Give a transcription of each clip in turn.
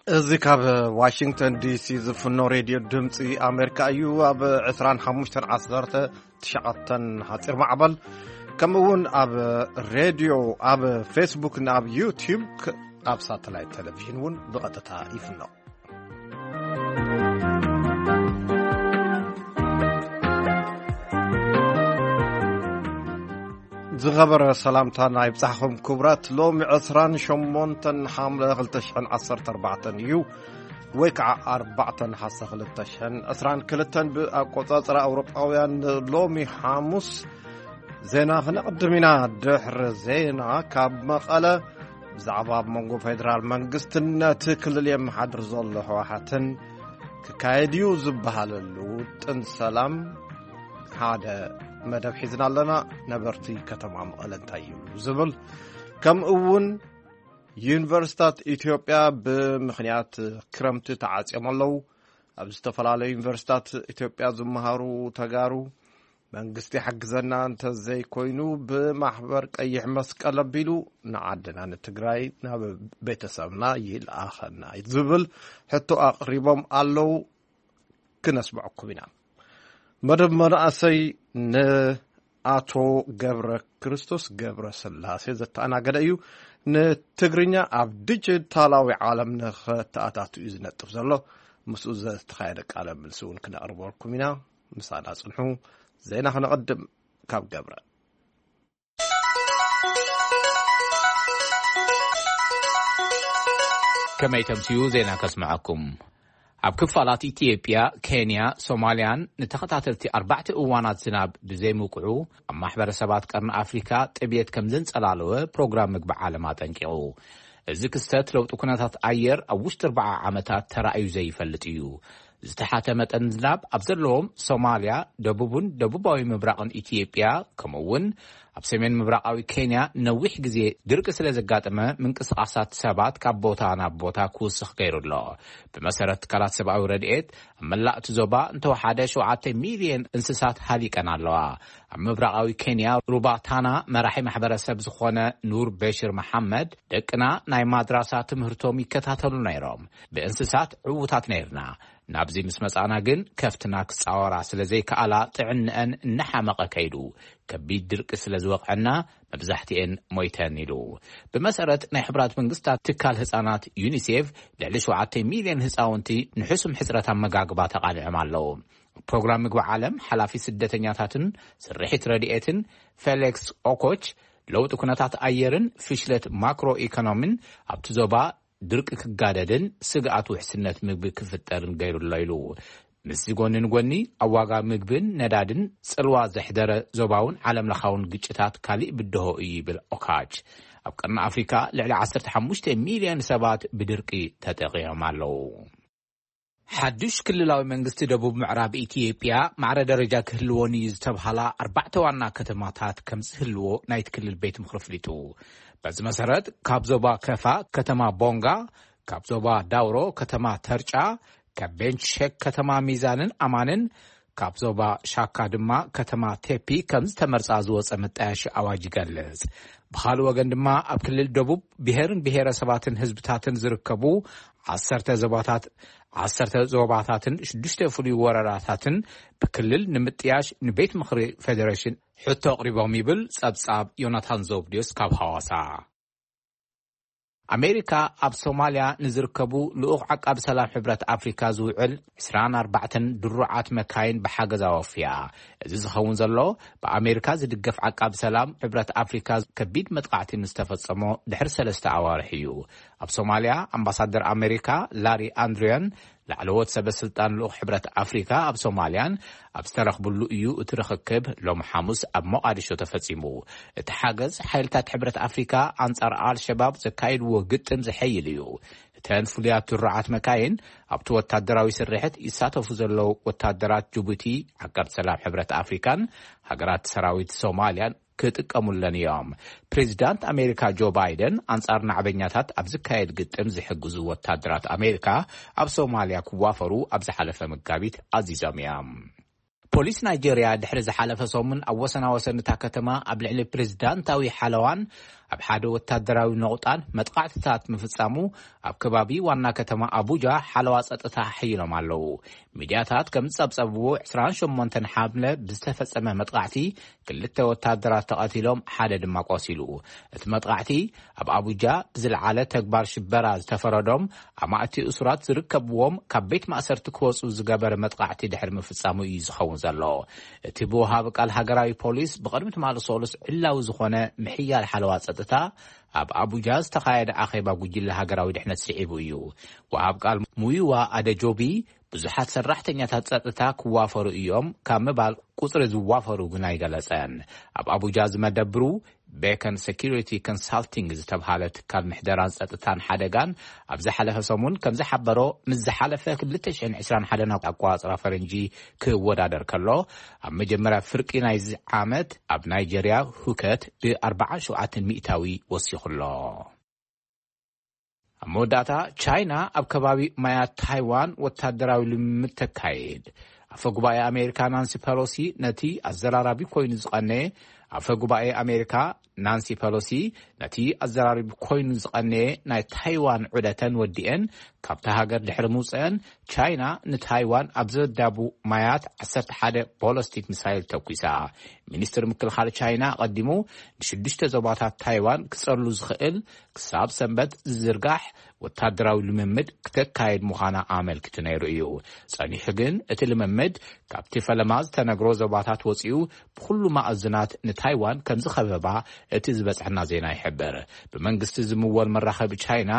እዚ ካብ ዋሽንግተን ዲሲ ዝፍኖ ሬድዮ ድምፂ ኣሜሪካ እዩ። ኣብ ዕስራን ሓሙሽተን ዓሰርተ ትሽዓተን ሓፂር ማዕበል፣ ከምኡ እውን ኣብ ሬድዮ፣ ኣብ ፌስቡክን ኣብ ዩቲዩብ፣ ክ-፣ ኣብ ሳተላይት ቴሌቪዥን እውን ብቐጥታ ይፍኖ። ዝኸበረ ሰላምታና ይብጻሕኹም ክቡራት። ሎሚ ዕስራን ሸሞንተን ሓምለ ክልተ ሽሕን ዓሰርተ ኣርባዕተን እዩ፣ ወይ ከዓ ኣርባዕተ ነሓሰ ክልተ ሽሕን ዕስራን ክልተን ብኣቆጻጽራ ኣውሮጳውያን። ሎሚ ሓሙስ ዜና ክነቕድም ኢና። ድሕሪ ዜና ካብ መቐለ ብዛዕባ ኣብ መንጎ ፌደራል መንግስትን ነቲ ክልል የመሓድር ዘሎ ህወሓትን ክካየድ እዩ ዝበሃለሉ ውጥን ሰላም ሓደ መደብ ሒዝና ኣለና። ነበርቲ ከተማ መቐለ እንታይ ይብሉ ዝብል፣ ከምኡ እውን ዩኒቨርሲታት ኢትዮጵያ ብምኽንያት ክረምቲ ተዓጽዮም ኣለዉ። ኣብ ዝተፈላለዩ ዩኒቨርሲታት ኢትዮጵያ ዝመሃሩ ተጋሩ፣ መንግስቲ ሓግዘና እንተዘይኮይኑ ብማሕበር ቀይሕ መስቀል ኣቢሉ ንዓድና ንትግራይ ናብ ቤተሰብና ይልኣኸና ዝብል ሕቶ ኣቕሪቦም ኣለዉ። ክነስምዐኩም ኢና። መደብ መናእሰይ ንኣቶ ገብረ ክርስቶስ ገብረ ስላሴ ዘተኣናገደ እዩ። ንትግርኛ ኣብ ዲጂታላዊ ዓለም ንኸተኣታቱ እዩ ዝነጥፍ ዘሎ። ምስኡ ዝተኻየደ ቃለ ምልሲ እውን ክነቕርበልኩም ኢና። ምሳና ጽንሑ። ዜና ክነቐድም ካብ ገብረ። ከመይ ተምስዩ ዜና ከስምዐኩም። ኣብ ክፋላት ኢትዮጵያ፣ ኬንያ፣ ሶማልያን ንተኸታተልቲ ኣርባዕተ እዋናት ዝናብ ብዘይምውቅዑ፣ ኣብ ማሕበረሰባት ቀርኒ ኣፍሪካ ጥብየት ከም ዘንጸላለወ ፕሮግራም ምግቢ ዓለም ኣጠንቂቑ። እዚ ክስተት ለውጢ ኩነታት ኣየር ኣብ ውሽጢ ኣርባዓ ዓመታት ተራእዩ ዘይፈልጥ እዩ። ዝተሓተ መጠን ዝናብ ኣብ ዘለዎም ሶማልያ፣ ደቡብን ደቡባዊ ምብራቕን ኢትዮጵያ፣ ከምኡ እውን ኣብ ሰሜን ምብራቓዊ ኬንያ ነዊሕ ግዜ ድርቂ ስለ ዘጋጠመ፣ ምንቅስቓሳት ሰባት ካብ ቦታ ናብ ቦታ ክውስኽ ገይሩ ኣሎ። ብመሰረት ትካላት ሰብኣዊ ረድኤት፣ ኣብ መላእ እቲ ዞባ እንተወሓደ ሸውዓተ ሚልዮን እንስሳት ሃሊቀን ኣለዋ። ኣብ ምብራቓዊ ኬንያ ሩባታና መራሒ ማሕበረሰብ ዝኾነ ኑር በሽር መሓመድ፣ ደቅና ናይ ማድራሳ ትምህርቶም ይከታተሉ ነይሮም። ብእንስሳት ዕዉታት ነይርና። ናብዚ ምስ መጻና ግን ከፍትና ክጻወራ ስለ ዘይከኣላ ጥዕንአን እናሓመቐ ከይዱ። ከቢድ ድርቂ ስለ ዝወቕዐና መብዛሕትኤን ሞይተን ኢሉ። ብመሰረት ናይ ሕቡራት መንግስታት ትካል ህጻናት ዩኒሴፍ፣ ልዕሊ ሸውዓተ ሚልዮን ህጻውንቲ ንሕሱም ሕጽረት ኣመጋግባ ተቓሊዖም ኣለዉ። ፕሮግራም ምግቢ ዓለም ሓላፊ ስደተኛታትን ስርሒት ረድኤትን ፌሌክስ ኦኮች፣ ለውጢ ኩነታት ኣየርን ፍሽለት ማክሮ ኢኮኖሚን ኣብቲ ዞባ ድርቂ ክጋደድን ስግኣት ውሕስነት ምግቢ ክፍጠርን ገይሩ ኣሎ ኢሉ። ምስዚ ጎኒ ንጎኒ፣ ኣብ ዋጋ ምግብን ነዳድን ጽልዋ ዘሕደረ ዞባውን ዓለምለኻውን ግጭታት ካሊእ ብድሆ እዩ ይብል ኦካች። ኣብ ቀርኒ ኣፍሪካ ልዕሊ ዓሰርተ ሓሙሽተ ሚልዮን ሰባት ብድርቂ ተጠቒዖም ኣለዉ። ሓዱሽ ክልላዊ መንግስቲ ደቡብ ምዕራብ ኢትዮጵያ ማዕረ ደረጃ ክህልወን እዩ ዝተብሃላ ኣርባዕተ ዋና ከተማታት ከም ዝህልዎ ናይቲ ክልል ቤት ምኽሪ ኣፍሊጡ። በዚ መሰረት፣ ካብ ዞባ ከፋ ከተማ ቦንጋ፣ ካብ ዞባ ዳውሮ ከተማ ተርጫ፣ ካብ ቤንች ሸክ ከተማ ሚዛንን ኣማንን፣ ካብ ዞባ ሻካ ድማ ከተማ ቴፒ ከም ዝተመርጻ ዝወጸ መጣየሺ ኣዋጅ ይገልጽ። ብኻልእ ወገን ድማ፣ ኣብ ክልል ደቡብ ብሄርን ብሄረሰባትን ህዝብታትን ዝርከቡ ዓሰርተ ዞባታት፣ ዓሰርተ ዞባታትን ሽዱሽተ ፍሉይ ወረዳታትን ብክልል ንምጥያሽ ንቤት ምኽሪ ፌዴሬሽን ሕቶ ኣቕሪቦም ይብል ጸብጻብ ዮናታን ዘውብድዮስ ካብ ሃዋሳ። ኣሜሪካ ኣብ ሶማልያ ንዝርከቡ ልኡኽ ዓቃቢ ሰላም ሕብረት ኣፍሪካ ዝውዕል ዕስራን ኣርባዕተን ድሩዓት መካይን ብሓገዝ ኣወፍያ። እዚ ዝኸውን ዘሎ፣ ብኣሜሪካ ዝድገፍ ዓቃቢ ሰላም ሕብረት ኣፍሪካ ከቢድ መጥቃዕቲ ምስ ተፈጸሞ ድሕሪ ሰለስተ ኣዋርሕ እዩ። ኣብ ሶማልያ ኣምባሳደር ኣሜሪካ ላሪ ኣንድሪያን ላዕለዎት ሰበ ስልጣን ልኡኽ ሕብረት ኣፍሪካ ኣብ ሶማልያን ኣብ ዝተረኽብሉ እዩ እቲ ርኽክብ ሎም ሓሙስ ኣብ ሞቓዲሾ ተፈጺሙ። እቲ ሓገዝ ሓይልታት ሕብረት ኣፍሪካ ኣንጻር ኣልሸባብ ዘካየድዎ ግጥም ዝሐይል እዩ። እተን ፍሉያት ድሩዓት መካይን ኣብቲ ወታደራዊ ስርሕት ይሳተፉ ዘለዉ ወታደራት ጅቡቲ፣ ዓቃብ ሰላም ሕብረት ኣፍሪካን ሃገራት ሰራዊት ሶማልያን ክጥቀሙለን እዮም። ፕሬዚዳንት ኣሜሪካ ጆ ባይደን ኣንጻር ናዕበኛታት ኣብ ዝካየድ ግጥም ዝሕግዙ ወታደራት ኣሜሪካ ኣብ ሶማልያ ክዋፈሩ ኣብ ዝሓለፈ መጋቢት ኣዚዞም እዮም። ፖሊስ ናይጄርያ ድሕሪ ዝሓለፈ ሰሙን ኣብ ወሰናወሰን እታ ከተማ ኣብ ልዕሊ ፕሬዚዳንታዊ ሓለዋን ኣብ ሓደ ወታደራዊ ነቑጣን መጥቓዕትታት ምፍጻሙ ኣብ ከባቢ ዋና ከተማ ኣቡጃ ሓለዋ ጸጥታ ሓይሎም ኣለዉ። ሚድያታት ከም ዝጸብጸብዎ፣ ዕስራን ሸሞንተን ሓምለ ብዝተፈጸመ መጥቓዕቲ ክልተ ወታደራት ተቐቲሎም፣ ሓደ ድማ ቆሲሉ። እቲ መጥቓዕቲ ኣብ ኣቡጃ ብዝለዓለ ተግባር ሽበራ ዝተፈረዶም ኣማእቲ እሱራት ዝርከብዎም ካብ ቤት ማእሰርቲ ክወጹ ዝገበረ መጥቓዕቲ ድሕሪ ምፍጻሙ እዩ ዝኸውን ዘሎ። እቲ ብወሃቢ ቃል ሃገራዊ ፖሊስ ብቕድሚ ትማሊ ሰሉስ ዕላዊ ዝኾነ ምሕያል ሓለዋ ጸጥታ ኣብ ኣቡጃ ዝተኻየደ ኣኼባ ጉጅለ ሃገራዊ ድሕነት ስዒቡ እዩ። ወሃብ ቃል ሙዩዋ ኣደጆቢ ብዙሓት ሰራሕተኛታት ጸጥታ ክዋፈሩ እዮም ካብ ምባል ቁጽሪ ዝዋፈሩ ግን ኣይገለጸን። ኣብ ኣቡጃ ዝመደብሩ ቤከን ሴኩሪቲ ኮንሳልቲንግ ዝተብሃለ ትካል ምሕደራን ጸጥታን ሓደጋን ኣብ ዝሓለፈ ሰሙን ከም ዝሓበሮ፣ ምስ ዝሓለፈ ክልተ ሽሕን ዕስራን ሓደን ኣቆጻጽራ ፈረንጂ ክወዳደር ከሎ፣ ኣብ መጀመርያ ፍርቂ ናይዚ ዓመት ኣብ ናይጀርያ ሁከት ብ ኣርባዓን ሸውዓተን ሚእታዊ ወሲኹ ኣሎ። ኣብ መወዳእታ፣ ቻይና ኣብ ከባቢ ማያት ታይዋን ወታደራዊ ልምምድ ተካይድ። ኣፈ ጉባኤ ኣሜሪካ ናንሲ ፐሎሲ ነቲ ኣዘራራቢ ኮይኑ ዝቐነየ ኣፈ ጉባኤ ኣሜሪካ ናንሲ ፐሎሲ ነቲ ኣዘራራቢ ኮይኑ ዝቐነየ ናይ ታይዋን ዑደተን ወዲኤን ካብታ ሃገር ድሕሪ ምውፅአን፣ ቻይና ንታይዋን ኣብ ዘዳቡ ማያት ዓሰርተ ሓደ ቦለስቲክ ሚሳይል ተኩሳ። ሚኒስትር ምክልኻል ቻይና ኣቐዲሙ ንሽዱሽተ ዞባታት ታይዋን ክጸሉ ዝኽእል ክሳብ ሰንበት ዝዝርጋሕ ወታደራዊ ልምምድ ክተካየድ ምዃና ኣመልኪቱ ነይሩ እዩ። ጸኒሑ ግን፣ እቲ ልምምድ ካብቲ ፈለማ ዝተነግሮ ዞባታት ወጺኡ ብኹሉ ማእዝናት ንታይዋን ከም ዝኸበባ እቲ ዝበጽሐና ዜና ይሕብር። ብመንግስቲ ዝምወል መራኸቢ ቻይና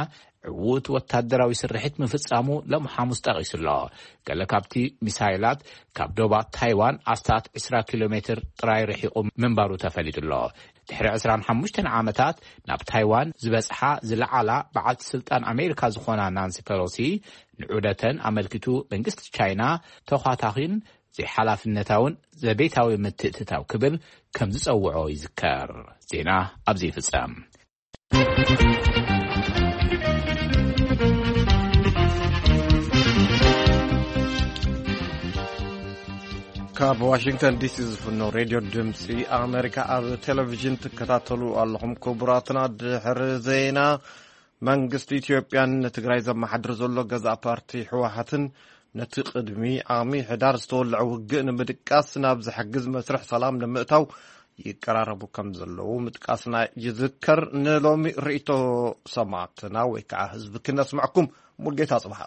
ዕዉት ወታደራዊ ስርሒት ምፍጻሙ ሎም ሓሙስ ጠቒሱ ኣሎ። ገለ ካብቲ ሚሳይላት ካብ ዶባት ታይዋን ኣስታት ዕስራ ኪሎ ሜትር ጥራይ ርሒቑ ምንባሩ ተፈሊጡ ኣሎ። ድሕሪ ዕስራን ሓሙሽተን ዓመታት ናብ ታይዋን ዝበጽሓ ዝለዓላ በዓልቲ ስልጣን ኣሜሪካ ዝኾና ናንሲ ፐሎሲ፣ ንዑደተን ኣመልኪቱ መንግስቲ ቻይና ተዃታኺን ዘይሓላፍነታውን ዘቤታዊ ምትእትታው ክብል ከም ዝጸውዖ ይዝከር። ዜና ኣብዚ ይፍጸም። ካብ ዋሽንግተን ዲሲ ዝፍኖ ሬድዮ ድምፂ ኣሜሪካ ኣብ ቴሌቪዥን ትከታተሉ ኣለኹም። ክቡራትና፣ ድሕሪ ዜና፣ መንግስቲ ኢትዮጵያን ንትግራይ ዘመሓድር ዘሎ ገዛእ ፓርቲ ህወሓትን ነቲ ቅድሚ ዓሚ ሕዳር ዝተወልዐ ውግእ ንምድቃስ ናብ ዝሕግዝ መስርሕ ሰላም ንምእታው ይቀራረቡ ከም ዘለዉ ምጥቃስና ይዝከር። ንሎሚ ርእይቶ ሰማዕትና ወይ ከዓ ህዝቢ ክነስምዐኩም። ሙልጌታ ጽብሓ።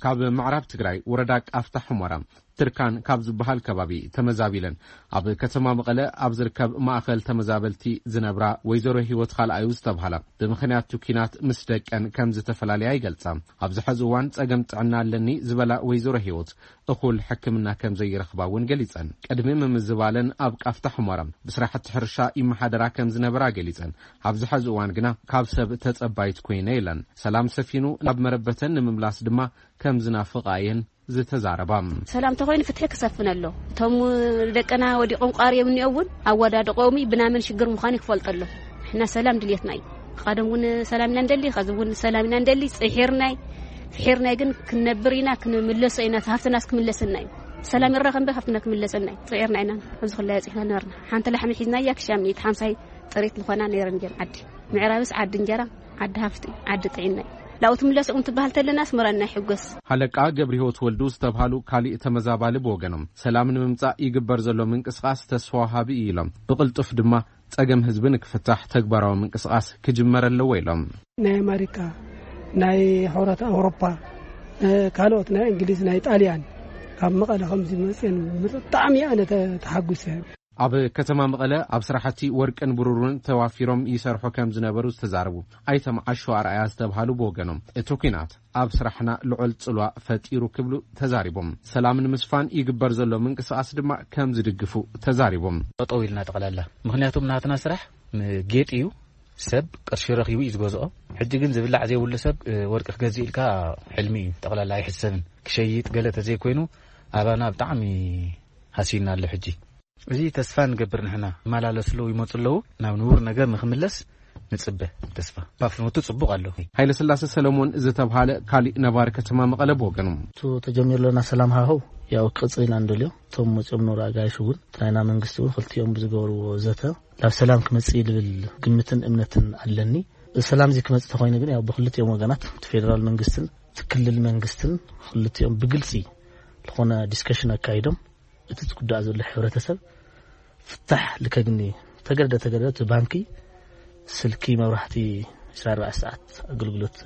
ካብ ምዕራብ ትግራይ ወረዳ ቃፍታ ሑመራ ትርካን ካብ ዝበሃል ከባቢ ተመዛቢለን ኣብ ከተማ መቐለ ኣብ ዝርከብ ማእኸል ተመዛበልቲ ዝነብራ ወይዘሮ ህይወት ካልኣዩ ዝተብሃላ፣ ብምኽንያት ኲናት ምስ ደቀን ከም ዝተፈላለያ ይገልጻ። ኣብዚ ሕዚ እዋን ጸገም ጥዕና ኣለኒ ዝበላ ወይዘሮ ህይወት፣ እኹል ሕክምና ከም ዘይረኽባ እውን ገሊጸን። ቅድሚ ምምዝባለን ኣብ ቃፍታ ሑመራ ብስራሕቲ ሕርሻ ይመሓደራ ከም ዝነበራ ገሊጸን፣ ኣብዚ ሕዚ እዋን ግና ካብ ሰብ ተጸባይት ኮይነ ኢለን። ሰላም ሰፊኑ ናብ መረበተን ንምምላስ ድማ ከም ዝናፍቓ እየን ዝተዛረባ። ሰላም ተኾይኑ ፍትሒ ክሰፍን ኣሎ። እቶም ደቅና ወዲቖም ቋርዮም እኒኦ እውን ኣወዳድቆም ብናመን ሽግር ምዃኑ ክፈልጦ ኣሎ። ንሕና ሰላም ድልየትና እዩ። ቃደም እውን ሰላም ኢና እንደሊ፣ ኸዚ እውን ሰላም ኢና እንደሊ። ጽሒርናይ፣ ፍሒርናይ ግን ክንነብር ኢና፣ ክንምለሶ ኢና፣ ሃፍትናስ ክምለሰና እዩ። ሰላም ይረኸ እምበር ሃፍትና ክምለሰና እዩ። ጽዒርና ኢና፣ ኣብዚ ኩላ ያጽሕና ነበርና። ሓንቲ ላሕሚ ሒዝናያ ክሻ ሚእቲ ሓምሳይ ጥሪት ዝኾና ነይረን እየን ዓዲ። ምዕራብስ ዓዲ እንጀራ፣ ዓዲ ሃፍቲ፣ ዓዲ ጥዒና እዩ። ላኡ ትምለስ እውን ትበሃል ተለና ኣስመራና ይሕጎስ። ሃለቃ ገብረ ህይወት ወልዱ ዝተብሃሉ ካሊእ ተመዛባሊ ብወገኖም፣ ሰላም ንምምጻእ ይግበር ዘሎ ምንቅስቓስ ተስፋ ወሃቢ እዩ ኢሎም፣ ብቕልጡፍ ድማ ጸገም ህዝቢ ንክፍታሕ ተግባራዊ ምንቅስቓስ ክጅመር ኣለዎ ኢሎም። ናይ ኣሜሪካ፣ ናይ ሕብረት ኣውሮፓ፣ እ፣ ካልኦት ናይ እንግሊዝ፣ ናይ ጣልያን ካብ መቐለ ከምዚ መፅየን ብጣዕሚ ኣነ ተ-፣ ተሓጒሰ። ኣብ ከተማ መቐለ ኣብ ስራሕቲ ወርቅን ብሩርን ተዋፊሮም ይሰርሑ ከም ዝነበሩ ዝተዛረቡ ኣይተ መዓሾ ኣርኣያ ዝተብሃሉ ብወገኖም፣ እቲ ኲናት ኣብ ስራሕና ልዑል ጽልዋ ፈጢሩ ክብሉ ተዛሪቦም። ሰላም ንምስፋን ይግበር ዘሎ ምንቅስቓስ ድማ ከም ዝድግፉ ተዛሪቦም። ጠጠው ኢልና ጠቕላላ፣ ምኽንያቱም ናትና ስራሕ ም-፣ ጌጥ እዩ። ሰብ ቅርሺ ረኺቡ እዩ ዝገዝኦ። ሕጂ ግን ዝብላዕ ዘይብሉ ሰብ፣ እ፣ ወርቂ ክገዝእ ኢልካ ሕልሚ እዩ። ጠቕላላ ኣይሕሰብን። ክሸይጥ ገለ ተዘይኮይኑ ኣባና ብጣዕሚ ሃስዩና ኣሎ ሕጂ። እዚ ተስፋ ንገብር ንሕና። ይመላለሱ ኣለዉ፣ ይመጹ ኣለዉ። ናብ ንቡር ነገር ንኽምለስ ንጽበ ተስፋ ባፍኖቱ ጽቡቕ ኣሎ። ሃይለ ስላሴ ሰለሞን ዝተብሃለ ካሊእ ነባሪ ከተማ መቐለ ብወገኑ፣ እቱ ተጀሚሩ ለና ሰላም ሃኸው ያው ክቕጽል ኢና እንደልዮ። እቶም መፅኦም ኖር ኣጋይሽ እውን እቲ ናይና መንግስቲ እውን ክልቲኦም ብዝገበርዎ ዘተ ናብ ሰላም ክመፅእ እዩ ልብል ግምትን እምነትን ኣለኒ። ሰላም እዚ ክመፅእ ተኮይኑ ግን ያው ብክልቲኦም ወገናት እቲ ፌደራል መንግስትን እቲ ክልል መንግስትን ክልቲኦም ብግልፂ ዝኾነ ዲስከሽን ኣካይዶም እቲ ዝጉዳእ ዘሎ ሕብረተሰብ ፍታሕ ልከግኒ ተገደ ተገደ እቲ ባንኪ ስልኪ መብራህቲ ዕስራን ኣርባዕተን ሰዓት ኣገልግሎት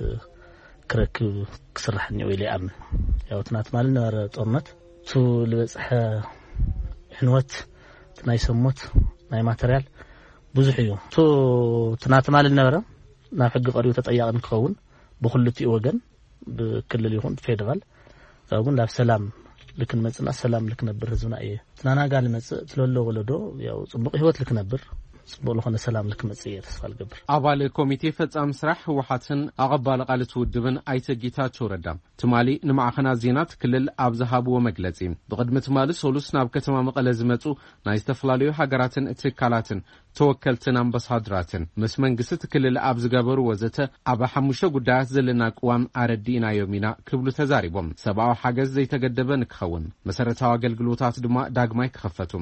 ክረክብ ክስራሕ እኒኦ ኢለ ይኣምን። ያው ትናት ማለት ነበረ ጦርነት እቱ ዝበፅሐ ዕንወት እቲ ናይ ሰሞት ናይ ማተርያል ብዙሕ እዩ። እቱ ትናት ማለት ነበረ ናብ ሕጊ ቀሪቡ ተጠያቂ ንክኸውን ብክልቲኡ ወገን ብክልል ይኹን ፌደራል ያው ግን ናብ ሰላም ልክንመፅና ሰላም ልክነብር ህዝብና እየ ትናናጋ ልመፅእ ትለሎ ወለዶ ያው ፅቡቅ ህይወት ልክነብር ፅቡቅ ልኾነ ሰላም ልክመፅእ እየ ተስፋ ልገብር። ኣባል ኮሚቴ ፈጻሚ ስራሕ ህወሓትን ኣቐባሊ ቃልቲ ውድብን ኣይተ ጌታቸው ረዳ ትማሊ ንማዕኸናት ዜና እቲ ክልል ኣብ ዝሃብዎ መግለጺ፣ ብቕድሚ ትማሊ ሰሉስ ናብ ከተማ መቐለ ዝመጹ ናይ ዝተፈላለዩ ሃገራትን ትካላትን ተወከልትን ኣምባሳድራትን ምስ መንግስቲ እቲ ክልል ኣብ ዝገበርዎ ዘተ፣ ኣብ ሓሙሽተ ጉዳያት ዘለና ቅዋም ኣረዲእናዮም ኢና ክብሉ ተዛሪቦም። ሰብኣዊ ሓገዝ ዘይተገደበ ንክኸውን፣ መሰረታዊ ኣገልግሎታት ድማ ዳግማይ ክኸፈቱ፣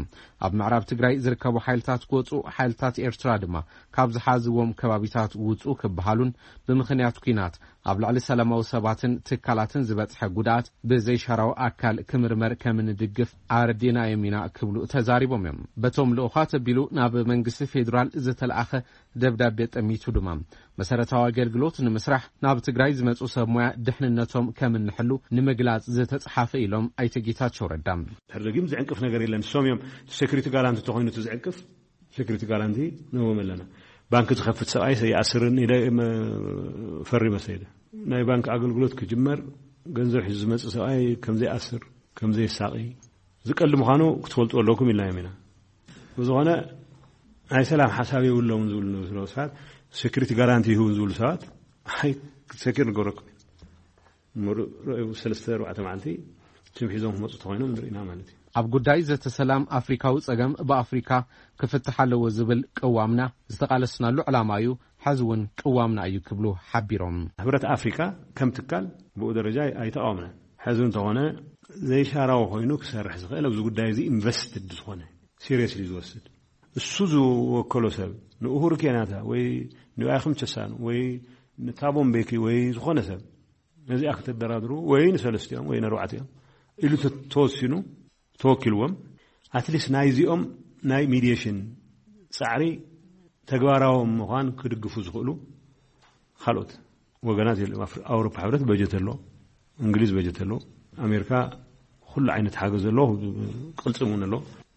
ኣብ ምዕራብ ትግራይ ዝርከቡ ሓይልታት ክወጹ፣ ሓይልታት ኤርትራ ድማ ካብ ዝሓዝዎም ከባቢታት ውጹ ክበሃሉን ብምኽንያት ኲናት ኣብ ልዕሊ ሰላማዊ ሰባትን ትካላትን ዝበጽሐ ጉድኣት ብዘይሻራዊ ኣካል ክምርመር ከም እንድግፍ ኣረዲእናዮም ኢና ክብሉ ተዛሪቦም እዮም። በቶም ልኡኻት ኣቢሉ ናብ መንግስቲ ፌዴራል ዝተለኣኸ ደብዳቤ ጠሚቱ ድማ መሰረታዊ ኣገልግሎት ንምስራሕ ናብ ትግራይ ዝመጹ ሰብ ሞያ ድሕንነቶም ከም እንሕሉ ንምግላጽ ዝተጽሓፈ ኢሎም ኣይተ ጌታቸው ረዳ። ድሕሪ ደጊም ዝዕንቅፍ ነገር የለን። ንሶም እዮም ሴኩሪቲ ጋራንቲ ተኾይኑ እቲ ዝዕንቅፍ ሴኩሪቲ ጋራንቲ ንህቦም ኣለና። ባንክ ዝኸፍት ሰብኣይ ሰይኣስርን ኢለ መ-፣ ፈሪመ ሰይደ። ናይ ባንክ ኣገልግሎት ክጅመር ገንዘብ ሒዙ ዝመጽእ ሰብኣይ ከም ዘይኣስር፣ ከም ዘየሳቒ ዝቀሊ ምዃኑ ክትፈልጡ ኣለኩም ኢልናዮም ኢና። ብዝኾነ ናይ ሰላም ሓሳብ የብሎምን ዝብሉ ንብስሎ ሰባት ሴኩሪቲ ጋራንቲ ይህቡ ዝብሉ ሰባት ኣይ ሴኩር ንገብረኩም ኢና። ምሩእ ረቡዕ ሰለስተ ኣርባዕተ መዓልቲ ስም ሒዞም ክመፁ ተኾይኖም ንርኢና ማለት እዩ። ኣብ ጉዳይ ዘተ ሰላም ኣፍሪካዊ ጸገም ብኣፍሪካ ክፍትሕ ኣለዎ ዝብል ቅዋምና ዝተቓለስናሉ ዕላማ እዩ፣ ሕዚ እውን ቅዋምና እዩ ክብሉ ሓቢሮም። ሕብረት ኣፍሪካ ከም ትካል ብኡ ደረጃ ኣይተቃወምናን። ሕዚ እንተኾነ ዘይሻራዊ ኮይኑ ክሰርሕ ዝኽእል ኣብዚ ጉዳይ እዚ ኢንቨስትድ ዝኾነ ሲሪየስሊ ዝወስድ እሱ ዝወከሎ ሰብ ንኡሁሩ ኬንያታ ወይ ንባይክም ቸሳኑ ወይ ንታቦ ምቤኪ ወይ ዝኾነ ሰብ ነዚኣ ክተደራድሩ ወይ ንሰለስቲኦም ወይ ነርባዕቲኦም ኢሉ ተ-፣ ተወሲኑ ተወኪልዎም ኣትሊስት ናይዚኦም ናይ ሚዲየሽን ጻዕሪ ተግባራዊ ምዃን ክድግፉ ዝኽእሉ ካልኦት ወገናት የለ። ኣፍሪ-፣ ኣውሮፓ ሕብረት በጀት ኣሎ፣ እንግሊዝ በጀት ኣሎ፣ ኣሜሪካ ኩሉ ዓይነት ሓገዝ ኣሎ፣ ቅልጽም እውን ኣሎ።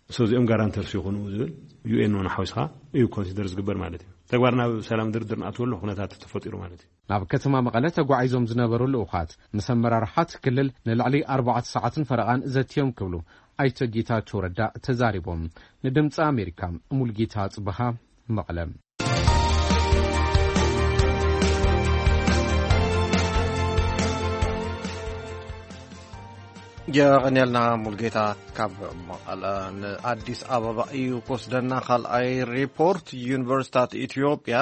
So እዚኦም ጋራንተርስ ይኹኑ ዝብል ዩ ኤን እውን ሓዊስካ እዩ ኮንሲደር ዝግበር ማለት እዩ። ተግባር ናብ ሰላም ድርድር ንኣትወሉ ኩነታት ተፈጢሩ ማለት እዩ። ናብ ከተማ መቐለ ተጓዒዞም ዝነበሩ ልኡኻት ምስ ኣመራርሓት ክልል ንልዕሊ ኣርባዕተ ሰዓትን ፈረቓን ዘትዮም ክብሉ ኣይተ ጌታቸው ረዳ ተዛሪቦም። ንድምፂ ኣሜሪካ ሙልጌታ ጽበሃ መቐለ። የቐንየልና ሙልጌታ ካብ መቐለ። ንኣዲስ ኣበባ እዩ ክወስደና ካልኣይ ሪፖርት። ዩኒቨርሲታት ኢትዮጵያ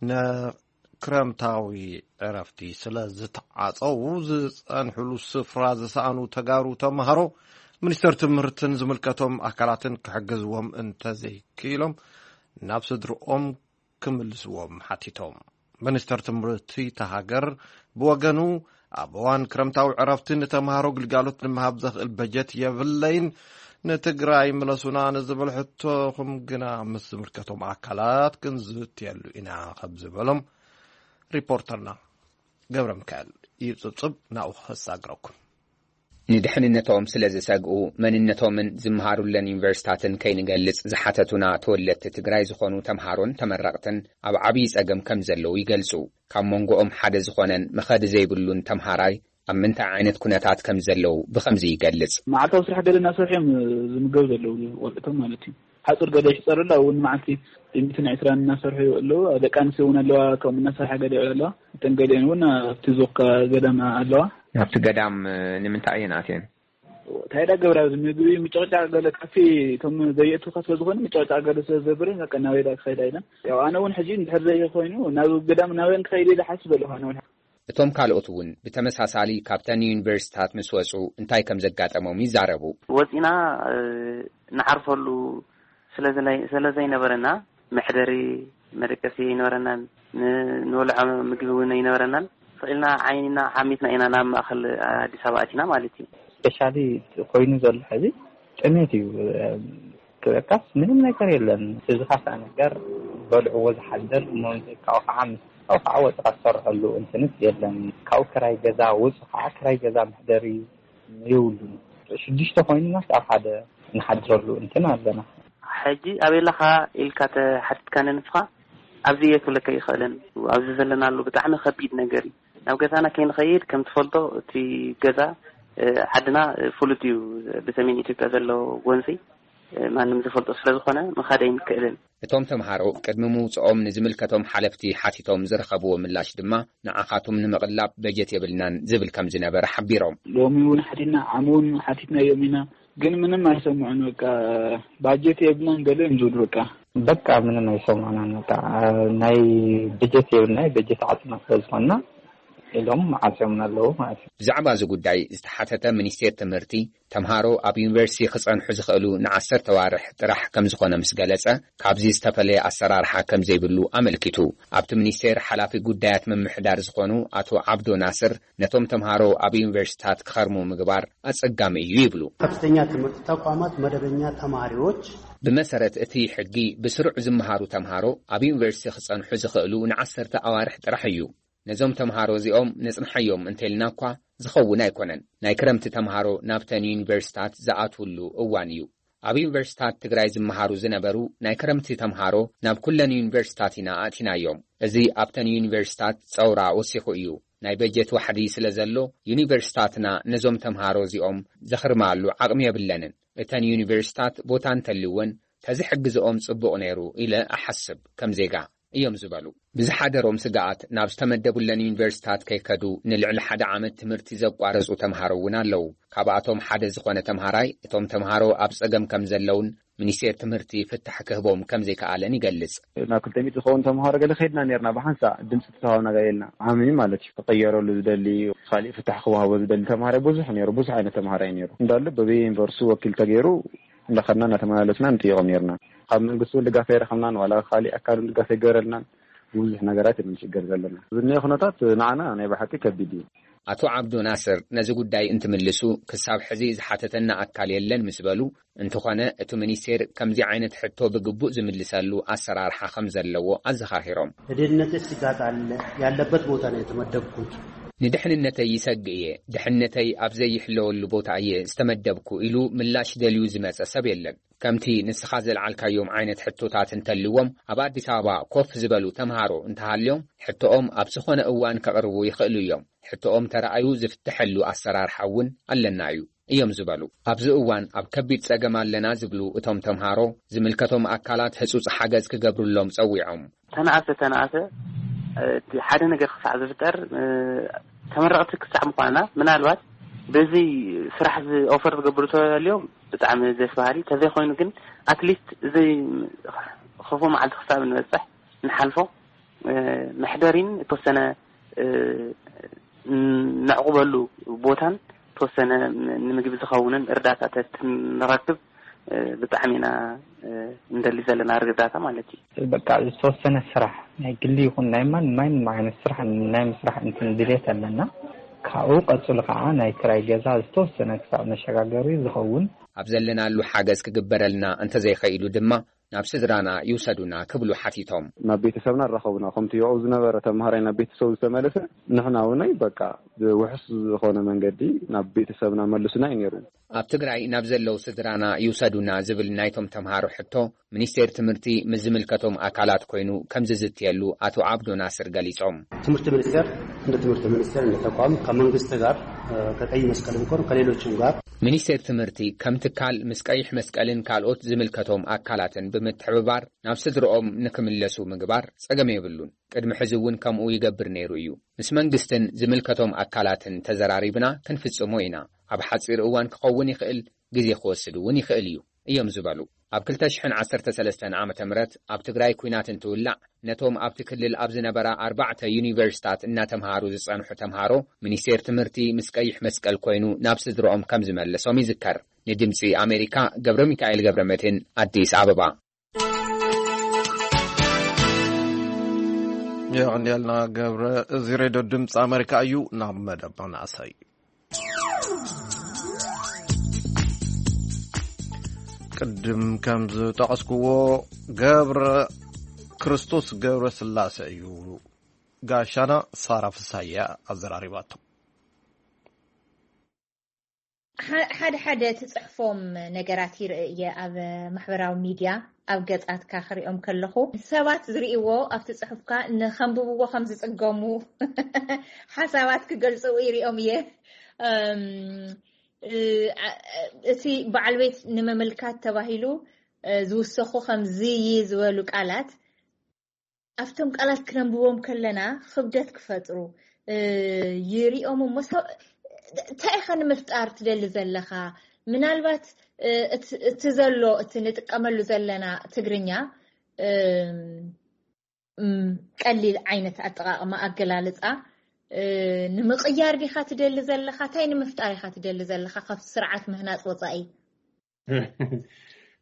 ንክረምታዊ ዕረፍቲ ስለ ዝተዓጸዉ ዝጸንሕሉ ስፍራ ዝሰኣኑ ተጋሩ ተምሃሮ ሚኒስተር ትምህርትን ዝምልከቶም ኣካላትን ክሕግዝዎም እንተዘይክኢሎም ናብ ስድርኦም ክምልስዎም ሓቲቶም። ሚኒስተር ትምህርቲ እታ ሃገር ብወገኑ ኣብ እዋን ክረምታዊ ዕረፍቲ ንተምሃሮ ግልጋሎት ንምሃብ ዘኽእል በጀት የብለይን፣ ንትግራይ ምለሱና ንዝብል ሕቶኹም ግና ምስ ዝምልከቶም ኣካላት ክንዝትየሉ ኢና ከም ዝበሎም ሪፖርተርና ገብረ ሚካኤል እዩ ጽብጽብ ናብኡ ከሳግረኩም። ንድሕንነቶም ስለ ዝሰግኡ መንነቶምን ዝመሃሩለን ዩኒቨርሲታትን ከይንገልጽ ዝሓተቱና ተወለድቲ ትግራይ ዝኾኑ ተምሃሮን ተመረቕትን ኣብ ዓብዪ ጸገም ከም ዘለዉ ይገልጹ። ካብ መንጎኦም ሓደ ዝኾነን መኸዲ ዘይብሉን ተምሃራይ ኣብ ምንታይ ዓይነት ኩነታት ከም ዘለዉ ብኸምዚ ይገልጽ። መዓልታዊ ስራሕ ገለ እናሰርሑ እዮም ዝምገቡ ዘለዉ ቆልዑቶም ማለት እዩ። ሓፁር ገለ ይሕፀሩ ኣለዉ። እውን መዓልቲ ሚእትን ዕስራን እናሰርሑ ኣለዉ። ደቂ ኣንስትዮ እውን ኣለዋ፣ ከምኡ እናሰርሓ ገለ ይውዕላ ኣለዋ። እተን ገሊአን እውን ኣብቲ ዞካ ገዳም ኣለዋ። ኣብቲ ገዳም ንምንታይ እየን ኣትየን? እንታይ ዳ ገብራ ኣብዚ ምግቢ ምጭቕጫቕ ገለ ካፌ እቶም ዘየእትውካ ስለ ዝኾነ ምጭቕጫቕ ገለ ስለ ዝገብር በቃ ናበይ ዳ ክኸይዳ ኢለን። ያው ኣነ እውን ሕጂ እንድሕር ዘይኮይኑ ናብ ገዳም ናበን ክኸይድ ኢለ ሓስብ ኣለኹ ኣነ እውን። እቶም ካልኦት እውን ብተመሳሳሊ ካብተን ዩኒቨርሲታት ምስ ወፁ እንታይ ከም ዘጋጠሞም ይዛረቡ። ወፂና ንዓርፈሉ ስለ ዘይነበረና መሕደሪ መደቀሲ ኣይነበረናን፣ ንወልዖ ምግቢ እውን ኣይነበረናን። ስቕ ኢልና ዓይንና ሓሚትና ኢና ናብ ማእኸል ኣዲስ ኣበባ ኣቲና ማለት እዩ። ስፔሻሊ ኮይኑ ዘሎ ሕዚ ጥሜት እዩ። ክበካስ ምንም ነገር የለን። እዚ ካሳ ነገር በልዕዎ ዝሓደር እሞ ካብኡ ከዓ ምስ ካብኡ ከዓ ወፅኻ ትሰርሐሉ እንትንስ የለን። ካብኡ ክራይ ገዛ ውፁ ከዓ ክራይ ገዛ መሕደሪ የብሉን። ሽዱሽተ ኮይኑናስ ኣብ ሓደ ንሓድረሉ እንትን ኣለና። ሕጂ ኣበይ ኣለኻ ኢልካ ተሓቲትካኒ ንስኻ ኣብዚ እየ ክብለካ ይኽእልን። ኣብዚ ዘለናሉ ብጣዕሚ ከቢድ ነገር እዩ። ናብ ገዛና ከይንኸይድ ከም ትፈልጦ እቲ ገዛ ዓድና ፍሉጥ እዩ። ብሰሜን ኢትዮጵያ ዘሎ ጎንፂ ማንም ዝፈልጦ ስለ ዝኾነ ምኻድ ኣይንክእልን። እቶም ተምሃሮ ቅድሚ ምውፅኦም ንዝምልከቶም ሓለፍቲ ሓቲቶም ዝረኸብዎ ምላሽ ድማ ንዓኻትም ንምቕላብ በጀት የብልናን ዝብል ከም ዝነበረ ሓቢሮም። ሎሚ እውን ሓቲትና ዓሚ እውን ሓቲትናዮም ኢና ግን ምንም ኣይሰምዑን። በቃ ባጀት የብልናን ገለ እዮም ዝብሉ። በቃ በቃ ምንም ኣይሰምዑናን። በቃ ናይ በጀት የብልና በጀት ዓፅና ስለ ዝኾንና ኢሎም ዓፅዮምና ኣለዉ ማለት እዩ። ብዛዕባ እዚ ጉዳይ ዝተሓተተ ሚኒስቴር ትምህርቲ ተምሃሮ ኣብ ዩኒቨርሲቲ ክፀንሑ ዝኽእሉ ንዓሰርተ ዋርሕ ጥራሕ ከም ዝኾነ ምስ ገለፀ ካብዚ ዝተፈለየ ኣሰራርሓ ከም ዘይብሉ ኣመልኪቱ። ኣብቲ ሚኒስቴር ሓላፊ ጉዳያት ምምሕዳር ዝኾኑ ኣቶ ዓብዶ ናስር ነቶም ተምሃሮ ኣብ ዩኒቨርሲታት ክኸርሙ ምግባር ኣፀጋሚ እዩ ይብሉ። ከፍተኛ ትምህርት ተቋማት መደበኛ ተማሪዎች ብመሰረት እቲ ሕጊ ብስሩዕ ዝመሃሩ ተምሃሮ ኣብ ዩኒቨርሲቲ ክፀንሑ ዝኽእሉ ንዓሰርተ ኣዋርሕ ጥራሕ እዩ። ነዞም ተምሃሮ እዚኦም ነፅንሓዮም እንተልና እኳ ዝኸውን ኣይኮነን። ናይ ክረምቲ ተምሃሮ ናብተን ዩኒቨርሲታት ዝኣትውሉ እዋን እዩ። ኣብ ዩኒቨርሲታት ትግራይ ዝመሃሩ ዝነበሩ ናይ ክረምቲ ተምሃሮ ናብ ኩለን ዩኒቨርሲታት ኢና ኣእቲናዮም። እዚ ኣብተን ዩኒቨርሲታት ፀውራ ወሲኹ እዩ። ናይ በጀት ዋሕዲ ስለ ዘሎ ዩኒቨርሲታትና ነዞም ተምሃሮ እዚኦም ዘኽርማሉ ዓቕሚ የብለንን። እተን ዩኒቨርሲታት ቦታ እንተልወን ተዝሕግዝኦም ፅቡቕ ነይሩ ኢለ እሓስብ ከም ዜጋ እዮም ዝበሉ። ብዝሓደሮም ስግኣት ናብ ዝተመደቡለን ዩኒቨርሲታት ከይከዱ ንልዕሊ ሓደ ዓመት ትምህርቲ ዘቋረፁ ተምሃሮ እውን ኣለዉ። ካብኣቶም ሓደ ዝኾነ ተምሃራይ እቶም ተምሃሮ ኣብ ፀገም ከም ዘለውን ሚኒስቴር ትምህርቲ ፍታሕ ክህቦም ከም ዘይከኣለን ይገልፅ። ናብ ክልተ ሚእቲ ዝኸውን ተምሃሮ ገለ ከይድና ነርና ብሓንሳእ ድምፂ ተተዋብና ገለ ኢልና ዓሚ ማለት እዩ። ክቀየረሉ ዝደሊ ካሊእ ፍታሕ ክወሃቦ ዝደሊ ተምሃራይ ብዙሕ ነይሩ። ብዙሕ ዓይነት ተምሃራይ ነይሩ እንዳሉ በበየ ዩኒቨርሲቲ ወኪል ተገይሩ እንዳኸድና እናተመላለስና ንጥይቖም ነርና። ካብ መንግስቲ እውን ድጋፍ ኣይረኸብናን ዋላ ካሊእ ኣካል እውን ድጋፍ ኣይገበረልናን። ብዙሕ ነገራት እዩ ንሽገር ዘለና። ዝኒኦ ኩነታት ንዓና ናይ ብሓቂ ከቢድ እዩ። ኣቶ ዓብዱ ናስር ነዚ ጉዳይ እንትምልሱ ክሳብ ሕዚ ዝሓተተና ኣካል የለን ምስ በሉ፣ እንተኾነ እቲ ሚኒስቴር ከምዚ ዓይነት ሕቶ ብግቡእ ዝምልሰሉ ኣሰራርሓ ከም ዘለዎ ኣዘኻኺሮም። ለደህንነት ስጋት አለ ያለበት ቦታ ነው የተመደብኩት። ንድሕንነተይ ይሰግእ እየ፣ ድሕነተይ ኣብ ዘይሕለወሉ ቦታ እየ ዝተመደብኩ ኢሉ ምላሽ ደልዩ ዝመጸ ሰብ የለን። ከምቲ ንስኻ ዘልዓልካዮም ዓይነት ሕቶታት እንተልዎም ኣብ ኣዲስ ኣበባ ኮፍ ዝበሉ ተምሃሮ እንተሃልዮም ሕቶኦም ኣብ ዝኾነ እዋን ከቕርቡ ይኽእሉ እዮም። ሕቶኦም ተረኣዩ ዝፍተሐሉ ኣሰራርሓ እውን ኣለና እዩ እዮም ዝበሉ። ኣብዚ እዋን ኣብ ከቢድ ጸገም ኣለና ዝብሉ እቶም ተምሃሮ ዝምልከቶም ኣካላት ህጹጽ ሓገዝ ክገብሩሎም ጸዊዖም። ተነኣሰ ተነኣሰ እቲ ሓደ ነገር ክሳዕ ዝፍጠር ተመረቕቲ ክሳዕ ምኳንና ምናልባት በዚ ስራሕ ኦፈር ዝገብሩ ተልዮም ብጣዕሚ ደስ በሃሊ ተዘይኮይኑ ግን ኣትሊስት እዚ ክፉ መዓልቲ ክሳብ ንበፅሕ ንሓልፎ መሕደሪን የተወሰነ ነዕቑበሉ ቦታን ተወሰነ ንምግቢ ዝኸውንን እርዳታታት ንረክብ ብጣዕሚ ኢና እንደሊ ዘለና እርዳታ ማለት እዩ። በቃ ዝተወሰነ ስራሕ ናይ ግሊ ይኹን ናይ ማን ማይን ዓይነት ስራሕ ናይ ምስራሕ እንትን ድሌት ኣለና። ካብኡ ቀፅሉ ከዓ ናይ ክራይ ገዛ ዝተወሰነ ክሳብ መሸጋገሪ ዝኸውን ኣብ ዘለናሉ ሓገዝ ክግበረልና እንተዘይኸኢሉ ድማ ናብ ስድራና ይውሰዱና ክብሉ ሓቲቶም። ናብ ቤተሰብና ኣራኸቡና። ከምቲ ኣብኡ ዝነበረ ተምሃራይ ናብ ቤተሰቡ ዝተመለሰ ንሕና እውነይ በቃ ብውሑስ ዝኾነ መንገዲ ናብ ቤተሰብና መልሱና እዩ ነይሩ። ኣብ ትግራይ ናብ ዘለዉ ስድራና ይውሰዱና ዝብል ናይቶም ተምሃሮ ሕቶ ሚኒስቴር ትምህርቲ ምስ ዝምልከቶም ኣካላት ኮይኑ ከም ዝዝትየሉ ኣቶ ዓብዶ ናስር ገሊጾም። ትምህርት ሚኒስቴር እንደ ትምህርት ሚኒስቴር እንደ ተቋም ከመንግስት ጋር ከቀይ መስቀልም ኮን ከሌሎችም ጋር ሚኒስቴር ትምህርቲ ከም ትካል ምስ ቀይሕ መስቀልን ካልኦት ዝምልከቶም ኣካላትን ብምትሕብባር ናብ ስድርኦም ንክምለሱ ምግባር ጸገም የብሉን። ቅድሚ ሕዚ እውን ከምኡ ይገብር ነይሩ እዩ። ምስ መንግስትን ዝምልከቶም ኣካላትን ተዘራሪብና ክንፍጽሞ ኢና። ኣብ ሓጺር እዋን ክኸውን ይኽእል፣ ግዜ ክወስድ እውን ይኽእል እዩ እዮም ዝበሉ። ኣብ ክልተ ሽሕን ዓሰርተ ሰለስተን ዓመተ ምህረት ኣብ ትግራይ ኲናት እንትውላዕ ነቶም ኣብቲ ክልል ኣብ ዝነበራ ኣርባዕተ ዩኒቨርሲታት እናተምሃሩ ዝጸንሑ ተምሃሮ ሚኒስቴር ትምህርቲ ምስ ቀይሕ መስቀል ኮይኑ ናብ ስድርኦም ከም ዝመለሶም ይዝከር። ንድምጺ ኣሜሪካ ገብረ ሚካኤል ገብረ መድህን ኣዲስ ኣበባ። የቐንየልና ገብረ። እዚ ሬድዮ ድምፂ ኣሜሪካ እዩ። ናብ መደብ መናእሰይ። ቅድም ከም ዝጠቐስክዎ ገብረ ክርስቶስ ገብረ ስላሴ እዩ። ጋሻና ሳራ ፍሳያ ኣዘራሪባቶ። ሓደ ሓደ ትጽሕፎም ነገራት ይርኢ እየ ኣብ ማሕበራዊ ሚድያ፣ ኣብ ገጻትካ ክሪኦም ከለኹ ሰባት ዝርእይዎ ኣብቲ ጽሑፍካ ንኸንብብዎ ከም ዝጽገሙ ሓሳባት ክገልጹ ይሪኦም እየ። እቲ በዓል ቤት ንምምልካት ተባሂሉ ዝውሰኹ ከም ዝይ ዝበሉ ቃላት ኣብቶም ቃላት ክነንብቦም ከለና ክብደት ክፈጥሩ ይሪኦም እሞ እንታይ ኢኻ ንምፍጣር ትደሊ ዘለኻ? ምናልባት እቲ ዘሎ እቲ ንጥቀመሉ ዘለና ትግርኛ ቀሊል ዓይነት ኣጠቃቅማ ኣገላልፃ ንምቅያር ዲኻ ትደሊ ዘለኻ? እንታይ ንምፍጣር ኢኻ ትደሊ ዘለኻ ካብቲ ስርዓት ምህናፅ ወፃኢ?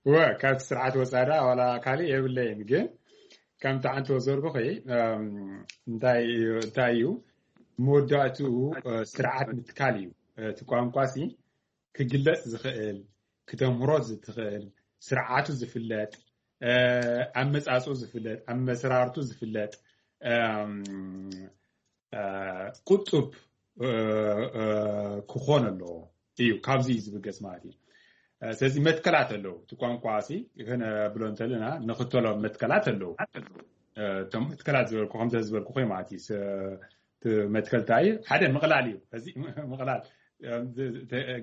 ወ ካብቲ ስርዓት ወፃኢ ደኣ ዋላ ካሊእ የብለይን፣ ግን ከምቲ ሓንቲ ወሰድኩኺ እንታይ እዩ እንታይ እዩ መወዳእትኡ ስርዓት ምትካል እዩ። እቲ ቋንቋ ሲ ክግለፅ ዝኽእል ክተምህሮ ዝትኽእል ስርዓቱ ዝፍለጥ ኣመፃፅኡ ዝፍለጥ ኣመሰራርቱ ዝፍለጥ ቁጡብ ክኾን ኣለዎ እዩ። ካብዚ እዩ ዝብገስ ማለት እዩ። ስለዚ መትከላት ኣለዉ። እቲ ቋንቋ ሲ ክነብሎ እንተለና ንኽተሎ መትከላት ኣለዉ። እቶም መትከላት ዝበልኩ ከምዚ ዝበልኩ ኮይ ማለት እዩ። መትከልታ እዩ ሓደ ምቕላል እዩ። እዚ ምቕላል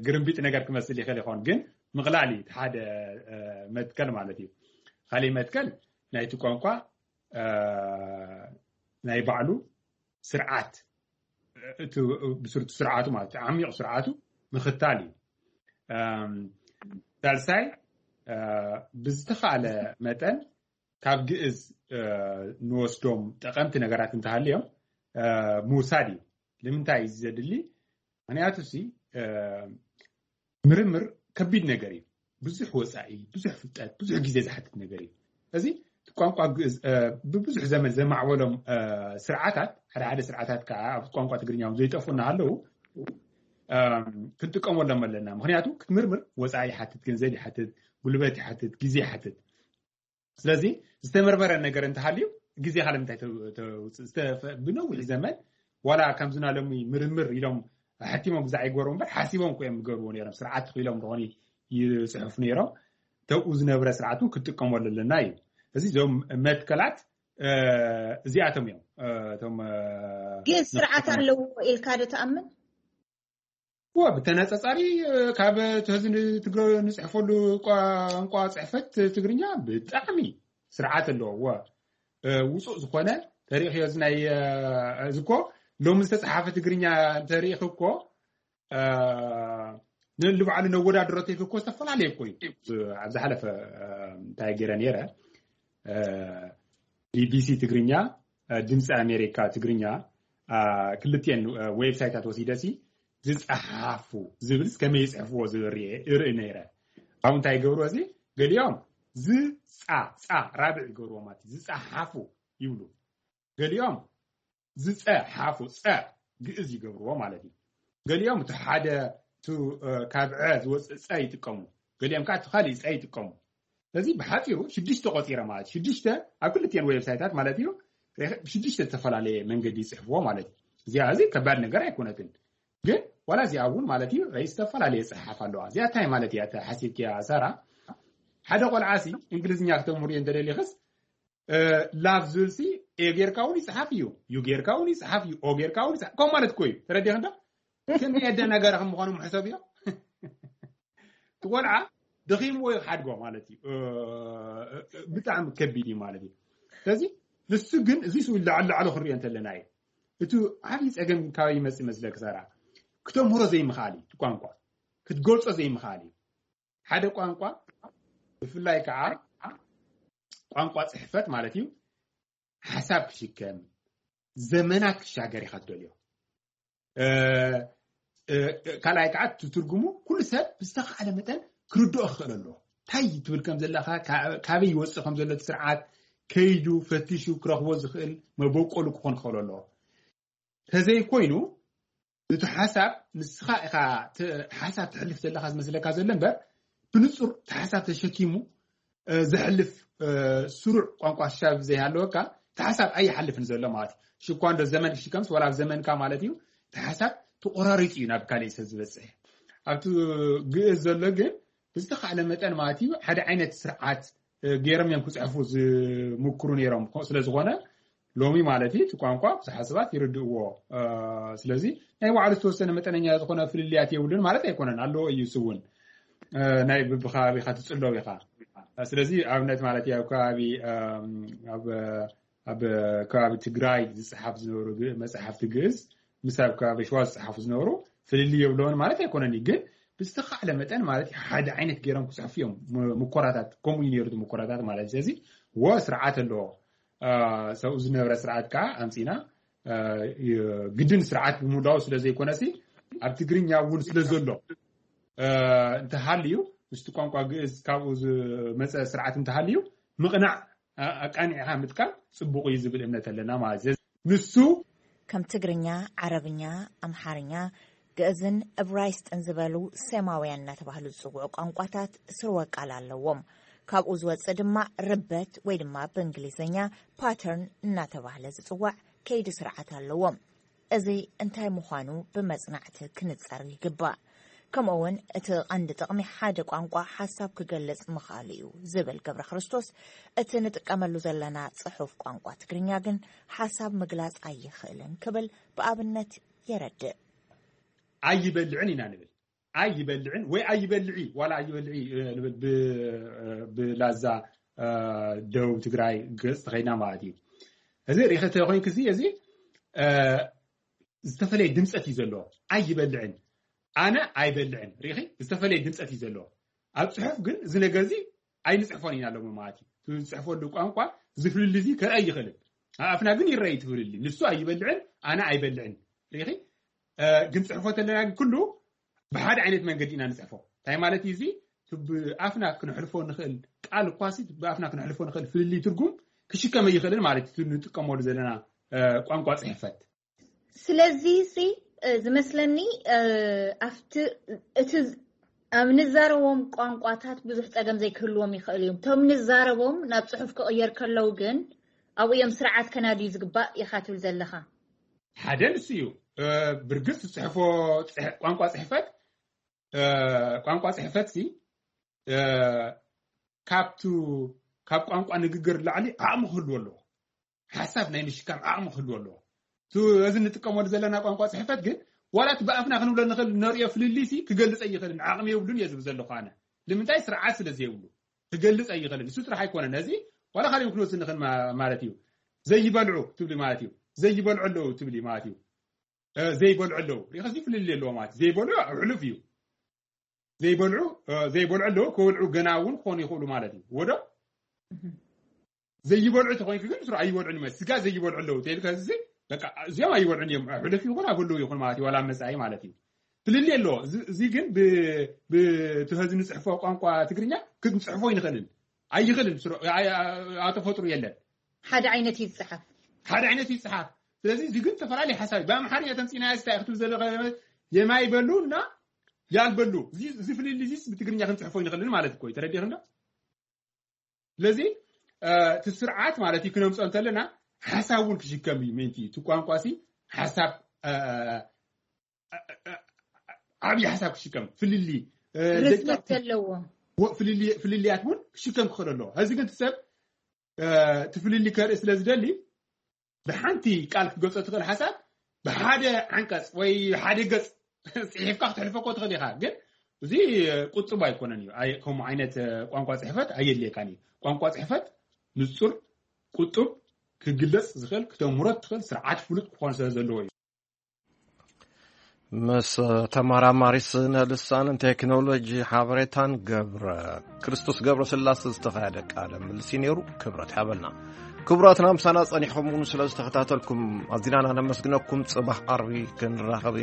ግርምቢጥ ነገር ክመስል ይኽእል ይኸውን፣ ግን ምቕላል እዩ ሓደ መትከል ማለት እዩ። ካሊእ መትከል ናይቲ ቋንቋ ናይ ባዕሉ ስርዓት ብስርቱ ስርዓቱ ማለት ዓሚቕ ስርዓቱ ምኽታል እዩ። ሳልሳይ ብዝተኻለ መጠን ካብ ግእዝ ንወስዶም ጠቐምቲ ነገራት እንተሃልዮም ምውሳድ እዩ። ንምንታይ እዩ ዘድሊ? ምክንያቱ ሲ ምርምር ከቢድ ነገር እዩ። ብዙሕ ወፃኢ፣ ብዙሕ ፍልጠት፣ ብዙሕ ግዜ ዝሓትት ነገር እዩ። እዚ ቋንቋ ግእዝ ብብዙሕ ዘመን ዘማዕበሎም ስርዓታት፣ ሓደ ሓደ ስርዓታት ከዓ ኣብ ቋንቋ ትግርኛ እውን ዘይጠፉ እናሃለዉ ክንጥቀመሎም ኣለና። ምክንያቱ ክትምርምር ወፃኢ ይሓትት፣ ገንዘብ ይሓትት፣ ጉልበት ይሓትት፣ ግዜ ይሓትት። ስለዚ ዝተመርመረ ነገር እንተሃልዩ ግዜኻ ንምንታይ ተውፅእ? ብነዊሕ ዘመን ዋላ ከምዝና ሎሚ ምርምር ኢሎም ሕቲሞም ብዛዕ ይገበሩ እምበር ሓሲቦም ኮ እዮም ዝገርዎ ነይሮም። ስርዓት ኢሎም ዝኾነ ይፅሕፉ ነይሮም። ተብኡ ዝነብረ ስርዓት እውን ክትጥቀመሉ ኣለና እዩ። እዚ እዞም መትከላት እዚኣቶም እዮም። እቶም ግን ስርዓት ኣለዎ ኢልካ ዶ ትኣምን? እወ ብተነፃፃሪ ካብ እቲ ሕዚ ንፅሕፈሉ ቋንቋ ፅሕፈት ትግርኛ ብጣዕሚ ስርዓት ኣለዎ። እወ ውፁእ ዝኾነ ተሪእኽዮ እዚ ናይ እዚ እኮ ሎሚ ዝተፅሓፈ ትግርኛ እንተሪእኽ እኮ ንልባዕሉ ነወዳድሮ ተይክ እኮ ዝተፈላለየ እኮ እዩ። ኣብ ዝሓለፈ እንታይ ገይረ ነይረ ቢቢሲ ትግርኛ ድምፂ ኣሜሪካ ትግርኛ ክልቲኤን ዌብሳይታት ወሲደሲ ዝፀሓፉ ዝብል ከመይ ይፅሕፍዎ ዝብል እርኢ ነይረ። ኣብ እንታይ ይገብርዎ እዚ ገሊኦም ዝፃ ፃ ራብዕ ይገብርዎ ማለት እዩ። ዝፀሓፉ ይብሉ። ገሊኦም ዝፀሓፉ ፀ ግእዝ ይገብርዎ ማለት እዩ። ገሊኦም እቲ ሓደ ካብ ዐ ዝወፅእ ፀ ይጥቀሙ። ገሊኦም ከዓ እቲ ካሊእ ፀ ይጥቀሙ። ስለዚ ብሓፂሩ ሽዱሽተ ቆፂረ ማለት ሽዱሽተ ኣብ ክልቲኤን ዌብሳይታት ማለት እዩ። ብሽዱሽተ ዝተፈላለየ መንገዲ ይፅሕፍዎ ማለት እዩ። እዚኣ እዚ ከባድ ነገር ኣይኮነትን። ግን ዋላ እዚኣ እውን ማለት እዩ ይ ዝተፈላለየ ፅሓፍ ኣለዋ። እዚኣ እንታይ ማለት እያ ሓሲብክያ ሳራ? ሓደ ቆልዓ ሲ እንግሊዝኛ ክተምህርዮ እንተደሊኽስ ላቭ ዝብል ሲ ኤ ጌርካ እውን ይፅሓፍ እዩ፣ ዩ ጌርካ እውን ይፅሓፍ እዩ፣ ኦ ጌርካ እውን ይፅሓፍ ከም ማለት እኮ እዩ። ተረዲኽ እንዶ ከመይ ኣደናጋሪ ከም ምዃኑ ምሕሰብ እዮም። ቆልዓ ደኺምዎ ይሓድጎ ማለት እዩ። ብጣዕሚ ከቢድ እዩ ማለት እዩ። ስለዚ ንሱ ግን እዚ ስው ላዕሊ ላዕሊ ክሪኦ እንተለና እዩ። እቲ ዓብዪ ፀገም ካበይ ይመፅእ መስለክ ሰራ? ክተምህሮ ዘይምኽኣል እዩ። ቋንቋ ክትገልፆ ዘይምኽኣል እዩ። ሓደ ቋንቋ ብፍላይ ከዓ ቋንቋ ፅሕፈት ማለት እዩ። ሓሳብ ክሽከም ዘመናት ክሻገር ኢኻ ትደልዮ። ካልኣይ ከዓ ትትርጉሙ ኩሉ ሰብ ብዝተኻእለ መጠን ክርድኦ ክኽእል ኣለዎ። እንታይ ትብል ከም ዘለኻ፣ ካበይ ይወፅእ ከም ዘሎ እቲ ስርዓት ከይዱ ፈቲሹ ክረኽቦ ዝኽእል መበቆሉ ክኾን ክኽእል ኣለዎ። ተዘይኮይኑ እቲ ሓሳብ ንስኻ ኢኻ ሓሳብ ትሕልፍ ዘለካ ዝመስለካ ዘሎ እምበር ብንፁር እቲ ሓሳብ ተሸኪሙ ዘሕልፍ ስሩዕ ቋንቋ ሽሻብ ዘይሃለወካ እቲ ሓሳብ ኣይሓልፍን ዘሎ ማለት እዩ። ሽኳ እንዶ ዘመን ክሽከምስ ወላ ኣብ ዘመንካ ማለት እዩ። እቲ ሓሳብ ተቆራሪፁ እዩ ናብ ካልእ ሰብ ዝበፅሕ። ኣብቲ ግእዝ ዘሎ ግን ብዝተኻእለ መጠን ማለት እዩ ሓደ ዓይነት ስርዓት ገይሮም እዮም ክፅሕፉ ዝምክሩ ነይሮም። ስለዝኾነ ሎሚ ማለት እዩ እቲ ቋንቋ ብዙሓት ሰባት ይርድእዎ። ስለዚ ናይ ባዕሉ ዝተወሰነ መጠነኛ ዝኾነ ፍልልያት የብሉን ማለት ኣይኮነን፣ ኣለዎ እዩ። እሱ እውን ናይ ብብከባቢኻ ትፅለው ኢኻ። ስለዚ ኣብነት ማለት ኣብ ከባቢ ኣብ ከባቢ ትግራይ ዝፅሓፍ ዝነበሩ መፅሓፍቲ ግእዝ ምስ ኣብ ከባቢ ሸዋ ዝፅሓፉ ዝነበሩ ፍልልይ የብለውን ማለት ኣይኮነን እዩ። ግን ብዝተኻእለ መጠን ማለት ሓደ ዓይነት ገይሮም ክፅሕፉ እዮም። ሙኮራታት ከምኡ እዩ ነይሩ፣ ሙኮራታት ማለት። ስለዚ ወ ስርዓት ኣለዎ። ሰብኡ ዝነበረ ስርዓት ከዓ ኣምፂና ግድን ስርዓት ብሙላው ስለ ዘይኮነሲ ኣብ ትግርኛ እውን ስለ ዘሎ እንተሃልዩ ምስቲ ቋንቋ ግእዝ ካብኡ ዝመፀ ስርዓት እንተሃልዩ ምቕናዕ ኣቃኒዕኻ ምጥቃም ፅቡቕ እዩ ዝብል እምነት ኣለና ማለት እዩ። ንሱ ከም ትግርኛ፣ ዓረብኛ፣ ኣምሓርኛ፣ ግእዝን እብራይስጥን ዝበሉ ሴማውያን እናተባህሉ ዝፅውዑ ቋንቋታት ስርወ ቃል ኣለዎም። ካብኡ ዝወፅእ ድማ ርበት ወይ ድማ ብእንግሊዝኛ ፓተርን እናተባህለ ዝፅዋዕ ከይዲ ስርዓት ኣለዎም። እዚ እንታይ ምዃኑ ብመፅናዕቲ ክንፀር ይግባእ። ከምኡ እውን እቲ ቀንዲ ጥቕሚ ሓደ ቋንቋ ሓሳብ ክገልፅ ምኽኣሉ እዩ ዝብል ገብረ ክርስቶስ፣ እቲ ንጥቀመሉ ዘለና ፅሑፍ ቋንቋ ትግርኛ ግን ሓሳብ ምግላፅ ኣይኽእልን ክብል ብኣብነት የረድእ። ኣይበልዕን ኢና ንብል። ኣይበልዕን ወይ ኣይበልዒ ዋላ ኣይበልዒ ንብል ብላዛ ደቡብ ትግራይ ገፅ ተኸይና ማለት እዩ። እዚ ሪኸ ተኮይንክ እዚ እዚ ዝተፈለየ ድምፀት እዩ ዘለዎ። ኣይበልዕን ኣነ ኣይበልዕን ሪኺ ዝተፈለየ ድምፀት እዩ ዘለዎ። ኣብ ፅሑፍ ግን እዚ ነገር እዚ ኣይንፅሕፎን ኢና ኣለሞ ማለት እዩ። ዝፅሕፈሉ ቋንቋ ዝፍልል እዚ ከርኣይ ይኽእልን ኣብ ኣፍና ግን ይረኣይ ትፍልል። ንሱ ኣይበልዕን ኣነ ኣይበልዕን ሪኺ ግን ፅሕፎ ተለና ግን ኩሉ ብሓደ ዓይነት መንገዲ ኢና ንፅሕፎ። እንታይ ማለት እዩ? እዚ ብኣፍና ክንሕልፎ ንኽእል ቃል እኳ ሲ ብኣፍና ክንሕልፎ ንኽእል ፍልልይ ትርጉም ክሽከመ ይኽእልን ማለት እዩ። ንጥቀመሉ ዘለና ቋንቋ ፅሕፈት ስለዚ ሲ ዝመስለኒ ኣብቲ እቲ ኣብ ንዛረቦም ቋንቋታት ብዙሕ ፀገም ዘይክህልዎም ይኽእል እዮም። እቶም ንዛረቦም ናብ ፅሑፍ ክቕየር ከለዉ ግን ኣብኡ እዮም ስርዓት ከናድዩ ዝግባእ ኢኻ ትብል ዘለኻ። ሓደ ንሱ እዩ። ብርግፅ ዝፅሕፎ ቋንቋ ፅሕፈት ቋንቋ ፅሕፈት ሲ ካብቱ ካብ ቋንቋ ንግግር ላዕሊ ዓቕሚ ክህልዎ ኣለዎ። ሓሳብ ናይ ምሽካም ዓቕሚ ክህልዎ ኣለዎ። እቲ እዚ እንጥቀመሉ ዘለና ቋንቋ ፅሕፈት ግን ዋላ እቲ ብኣፍና ክንብሎ ንኽእል ነርእዮ ፍልልይ ሲ ክገልፅ ኣይኽእልን፣ ዓቕሚ የብሉን እየ ዝብል ዘለኹ ኣነ። ንምንታይ? ስርዓት ስለ ዘይብሉ ክገልፅ ኣይኽእልን። እሱ ጥራሕ ኣይኮነን፣ ነዚ ዋላ ካልእ ክንወስድ ንኽእል ማለት እዩ። ዘይበልዑ ትብሊ ማለት እዩ፣ ዘይበልዑ ኣለዉ ትብሊ ማለት እዩ። ዘይበልዑ ኣለዉ ሪኸሲ ፍልልይ ኣለዎ ማለት እዩ። ዘይበልዑ ኣሕሉፍ እዩ። ዘይበልዑ ዘይበልዑ ኣለዉ፣ ክበልዑ ገና እውን ክኾኑ ይኽእሉ ማለት እዩ። ወዶ ዘይበልዑ ተኾይንክ ግን ስሩ ኣይበልዑን ማለት ስጋ ዘይበልዑ ኣለዉ ተልካ እዚ በቃ እዚኦም ኣይበልዑን እዮም። ሕለፍ ይኹን ኣበሉ ይኹን ማለት እዩ። ዋላ መጻኢ ማለት እዩ። ፍልልይ ኣለዎ። እዚ ግን ብትህዚ ንፅሕፎ ቋንቋ ትግርኛ ክንፅሕፎ ይንኽእልን ኣይኽእልን። ኣተፈጥሩ የለን። ሓደ ዓይነት ይፅሓፍ። ሓደ ዓይነት ይፅሓፍ። ስለዚ እዚ ግን ዝተፈላለዩ ሓሳብ ብኣምሓርኛ ተምፂና ስታይ ክትብል ዘለካ የማይ በሉ እና ያልበሉ እዚ ፍልልይ እዚስ ብትግርኛ ክንፅሕፎ ይንኽእልን ማለት እኮ እዩ። ተረዲእክ እንዶ? ስለዚ እቲ ስርዓት ማለት እዩ ክነምፅኦ እንተለና ሓሳብ እውን ክሽከም እዩ። ምእንቲ እቲ ቋንቋ ሲ ሓሳብ ዓብዪ ሓሳብ ክሽከም ፍልልይ ርዝነት ዘለዎ ፍልልያት እውን ክሽከም ክኽእል ኣለዎ። ሕዚ ግን እቲ ሰብ እቲ ፍልልይ ከርኢ ስለ ዝደሊ ብሓንቲ ቃል ክትገልፆ ትኽእል ሓሳብ ብሓደ ዓንቀፅ ወይ ሓደ ገፅ ፅሒፍካ ክትሕልፈ እኮ ትኽእል ኢኻ። ግን እዚ ቁጥብ ኣይኮነን እዩ። ኣይ- ከምኡ ዓይነት ቋንቋ ፅሕፈት ኣየድልየካን እዩ። ቋንቋ ፅሕፈት ንፁር፣ ቁጥብ፣ ክግለፅ ዝኽእል፣ ክተምህሮ ትኽእል ስርዓት ፍሉጥ ክኾን ስለ ዘለዎ እዩ። ምስ ተመራማሪ ስነ ልሳንን ቴክኖሎጂ ሓበሬታን ገብረ ክርስቶስ ገብረ ስላሴ ዝተኻየደ ቃለ ምልሲ ነይሩ። ክብረት ሓበልና። ክቡራትና ምሳና ጸኒሕኩም እውን ስለ ዝተኸታተልኩም ኣዚናና ነመስግነኩም። ጽባሕ ዓርቢ ክንራኸብ ኢና።